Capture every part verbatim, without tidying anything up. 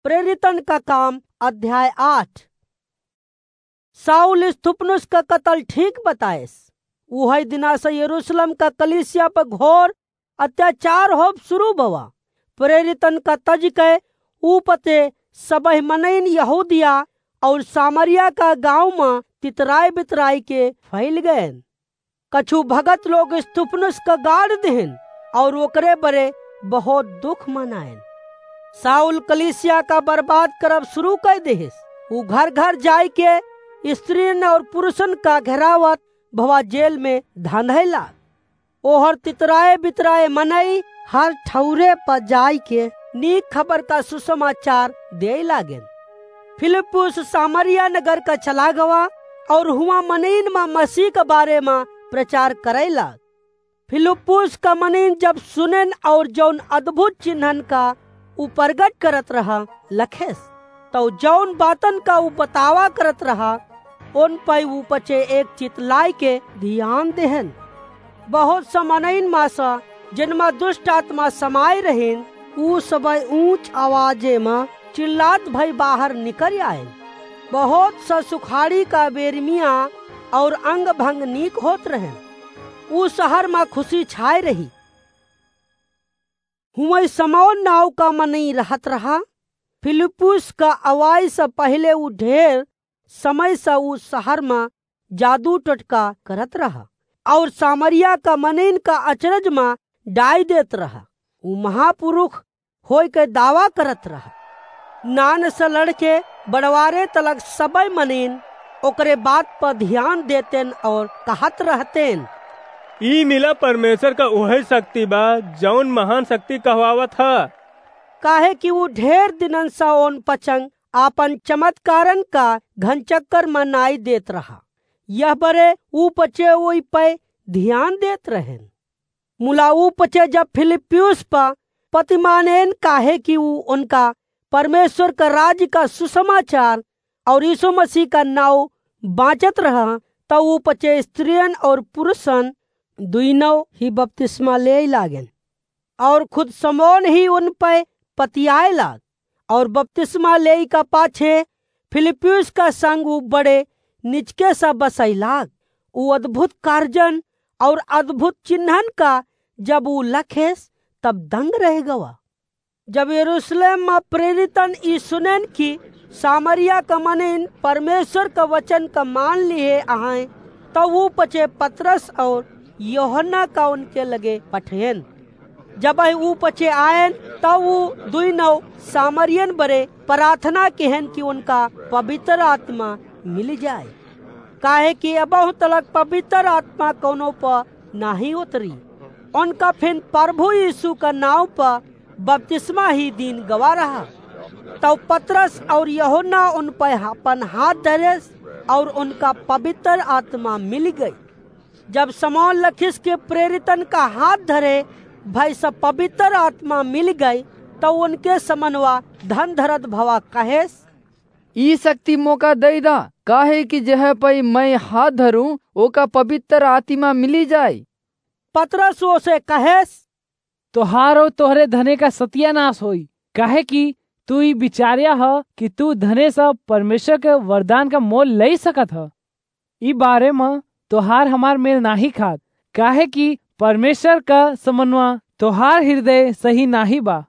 प्रेरितन का काम, अध्याय आठ। शाऊल स्तिफनुस का कतल ठीक बताएस। उहै दिना से यरूशलेम का कलीसिया पर घोर अत्याचार होब शुरू भवा। प्रेरितन का तज के ऊ पचे सबही मनइन यहूदिया और सामरिया का गाँव मा तितराय बितराय के फैल गएन। कछु भगत लोग स्तिफनुस का गाड़ दिहिन और ओकरे बरे बहुत दुख मनाएन। शाऊल कलीसिया का बर्बाद करब शुरू कर दिहिस। ऊ घर घर जाय के स्त्रियन और पुरुषन का घेरावत भवा जेल में धांधैला। ओहर तितराए बितराए मनई हर ठौरे पर जाय के नीक खबर का सुसमाचार देय लागेन। फिलिप्पुस सामरिया नगर का चला गवा और हुआ मनइन मा मसीह के बारे मा प्रचार करैला। फिलिप्पुस का मनइन जब सुनेन और जौन अद्भुत चिन्हन का ऊ प्रगट करत रहा लखेस, तौ जौन बातन का ऊ बतावा करत रहा, उन पै ऊ पचे एक चित लाय के ध्यान देहन। बहुत सा मनइन मा सा, जिनमा दुष्ट आत्मा समाय रहिन, ऊ सबय ऊंच आवाजे मा चिल्लात भई बाहर निकर आएन। बहुत सा सुखाड़ी का बेरमिया और अंग भंग नीक होत रहेन। ऊ शहर मा खुशी छाय रही। हुआं शमौन नाव का मनई रहत रहा। फिलिप्पुस का अवाई से पहिले ऊ ढेर समय से ऊ शहर मा जादू टोटका करत रहा और सामरिया का मनइन का अचरज मा डाय देत रहा। ऊ महापुरुष होय के दावा करत रहा। नान से लड़के बड़वारे तलक सबय मनइन ओकरे बात पर ध्यान देतेन और कहत रहतेन, "ई मिला परमेश्वर का उहे शक्ति बा, जौन महान शक्ति कहवावत ह।" काहे कि ऊ ढेर दिनन से ओन पचंग आपन चमत्कारन का घनचक्कर मा नाई देत रहा। यह बरे ऊ पचे ओई पै ध्यान देत रहेन। मुला ऊ पचे जब फिलिप्पियुस पा पतिमानेन, काहे कि ऊ उनका परमेश्वर का राज का सुसमाचार और यीशु मसीह का नाव बाँचत रहा, तब ऊ पचे स्त्रियन और पुरुषन दुइनौ ही बपतिस्मा लेय लागेन। और खुद समौन ही उन पै पतियाए लाग। और बपतिस्मा लेई का पाछे फिलिप्पियुस का संग ऊ बड़े निचके सा बसई लाग। ऊ अद्भुत कार्जन और अद्भुत चिन्हन का जब ऊ लखेस, तब दंग रह गवा। जब यरूशलेम मा प्रेरितन ई सुनेन कि सामरिया का मनइन परमेश्वर का वचन का मान लिहे अहैं, तब ऊ पचे पतरस और यूहन्ना का उनके लगे पठेन। जब ऊ पचे आएन, तब ऊ दुइनौ सामरियन बरे प्रार्थना किहेन कि उनका पवित्र आत्मा मिल जाए, काहे कि अबहु तलक पवित्र आत्मा कौनो पर नाहीं उतरी। उनका फिन प्रभु यीशु का नाव पर बपतिस्मा ही दीन गवा रहा। तब पतरस और यूहन्ना उन पर अपन हाथ धरेस और उनका पवित्र आत्मा मिल गई। जब समौन लखिस के प्रेरितन का हाथ धरे भई सब पवित्र आत्मा मिल गई, तब उनके समनवा धन धरत भवा कहेस, "ई शक्ति मोका दई दा, काहे कि जेह पै मैं हाथ धरूं, ओका पवित्र आत्मा मिली जाए।" पतरस ओसे कहेस, "तोहार और तोहरे धने का सत्यानाश होई, काहे कि तू ई विचार्या ह कि तू धने से परमेश्वर के वरदान का मोल लई सकत ह। ई बारे म तोहार हमार मेल नाहीं खात, काहे कि परमेश्वर का समनवा तोहार हृदय सही नाहीं बा।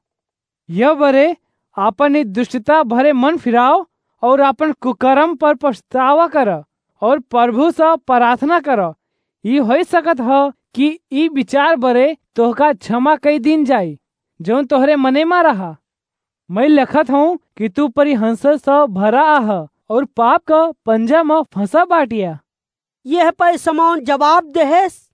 यह बरे आपन ई दुष्टता भरे मन फिराव और आपन कुकर्म पर पछतावा कर और प्रभु से प्रार्थना कर। ई होई सकत ह कि ई विचार बरे तोहका क्षमा कई दीन जाई, जौन तोहरे मने मा रहा। मैं लखत हूँ कि तू परिहंस से भरा आह और पाप का पंजा म फंसा बाटिया।" यह पै समौन जवाब देहेस,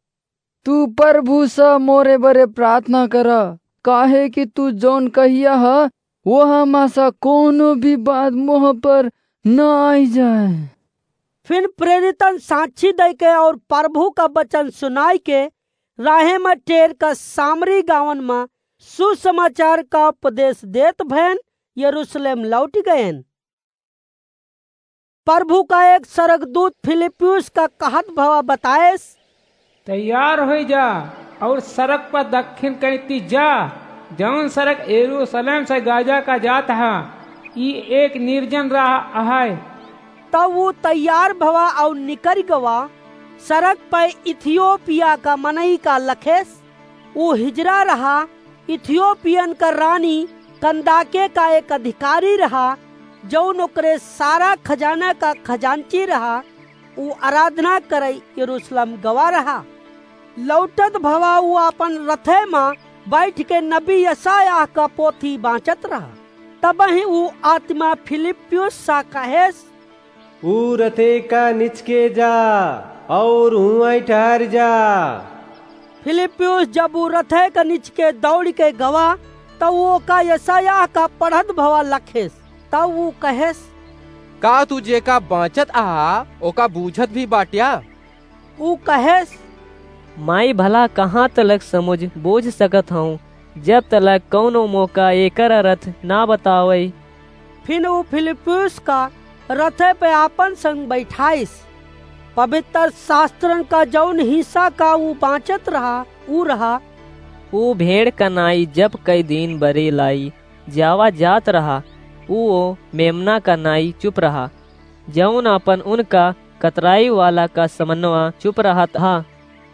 "तू प्रभु से मोरे बरे प्रार्थना कर, काहे कि तू जौन कहिया ह, वह मा से कोनो भी बात मोह पर न आई जाए।" फिर प्रेरितन साक्षी दे के और प्रभु का वचन सुनाई के राहे में टेर का सामरी गावन में सुसमाचार का उपदेश देत भयन यरूशलेम लौट गयन। प्रभु का एक स्वर्गदूत फिलिप्पियुस का कहत भवा बताएस, "तैयार होई जा और सड़क पर दक्षिण कैती जा, जौन सड़क यरूशलेम से गाजा का जात हा।" ई एक निर्जन राह अहै। तब ऊ तैयार भवा अउर निकरि गवा। सड़क पै इथियोपिया का मनई का लखेस। ऊ हिजरा रहा। इथियोपियन का रानी कंदाके का एक अधिकारी रहा, जउन ओकरे सारा खजाना का खजांची रहा। ऊ आराधना करै यरूशलेम गवा रहा। लौटत भवा ऊ आपन रथे मा बैठ के नबी यशायाह का पोथी बाँचत रहा। तबही ऊ आत्मा फिलिप्युस सा कहेस, ऊ रथे का निचके जा अउर हुआई ठहर जा। फिलिप्युस जब ऊ रथे का निचके दौड़ि के गवा, तब ऊ ओका यशायाह का पढ़त भवा लखेस। तब ऊ कहेस, का तू जेका बाँचत अहा, ओका बूझत भी बाट्या? ऊ कहेस, माई भला कहाँ तलक समुझ बूझ सकत हौं, जब तलक कउनो मोका एकर अरथ ना बतावै? फिन ऊ फिलिप्युस का रथे पे आपन संग बैठाइस। पवित्र शास्त्रन का जउन हिस्सा का ऊ बाँचत रहा, ऊ रहा, ऊ भेड़ का नाई जब कई दिन बरे लाई जावा जात रहा, ऊ ओ मेमना का नाई चुप रहा, जउन आपन उनका कतराई वाला का समनवा चुप रहत हा,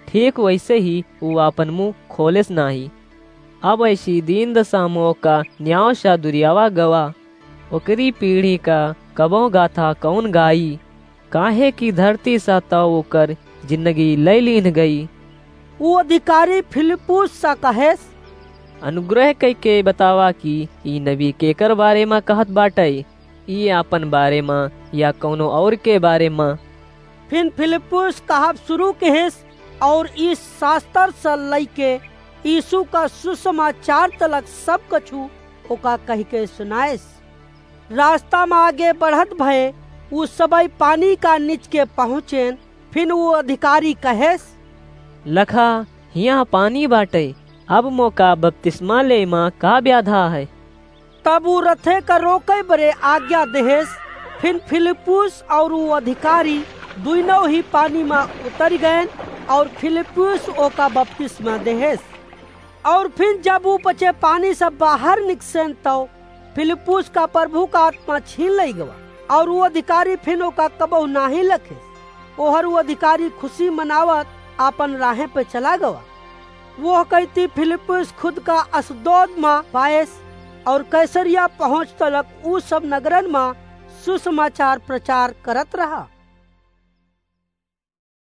ठीक वइसे ही ऊ आपन मुँह खोलेस नाहीं। अब ऐसी दीन दशा मोका न्याव सा दुरियावा गवा। ओकरी पीढ़ी का कबहुँ गाथा कउन गाई? काहे कि धरती सा तौ ओकर जिंदगी लइ लीन गई। ऊ अधिकारी फिलिप्पुस सा कहेस, अनुग्रह कइके बतावा कि ई नबी केकर बारे मा कहत बाटइ, ई आपन बारे मा या कउनो अउर के बारे मा? फिन फिलिप्पुस कहब सुरू किहिस, अउर ई सास्तर स लइके यीसू का सुसमाचार तलक सब कछु ओका कहिके सुनाइस। रास्ता मा आगे बढ़त भए ऊ सबइ पानी का निचके पहुँचेन। फिन ऊ अधिकारी कहेस, लखा, हियाँ पानी बाटइ, अब मोका बपतिस्मा लेइ मा का ब्याधा हइ? तब ऊ रथे का रोकइ बरे आज्ञा देहेस। फिन फिलिप्पुस अउर ऊ अधिकारी दुइनौ ही पानी मा उतरि गएन, अउर फिलिप्पुस ओका बपतिस्मा देहेस। अउर फिन जब ऊ पचे पानी से बाहर निकसेन, तौ फिलिप्पुस का प्रभु का आत्मा छीन लइ गवा, अउर ऊ अधिकारी फिन ओका कबहुँ नाहीं लखेस। ओहर ऊ अधिकारी खुसी मनावत आपन राहें पे चला गवा। वोह कइती फिलिप्पुस खुद का अशदोद मा पाएस, अउर कैसरिया पहुँच तलक ऊ सब नगरन मा सुसमाचार प्रचार करत रहा।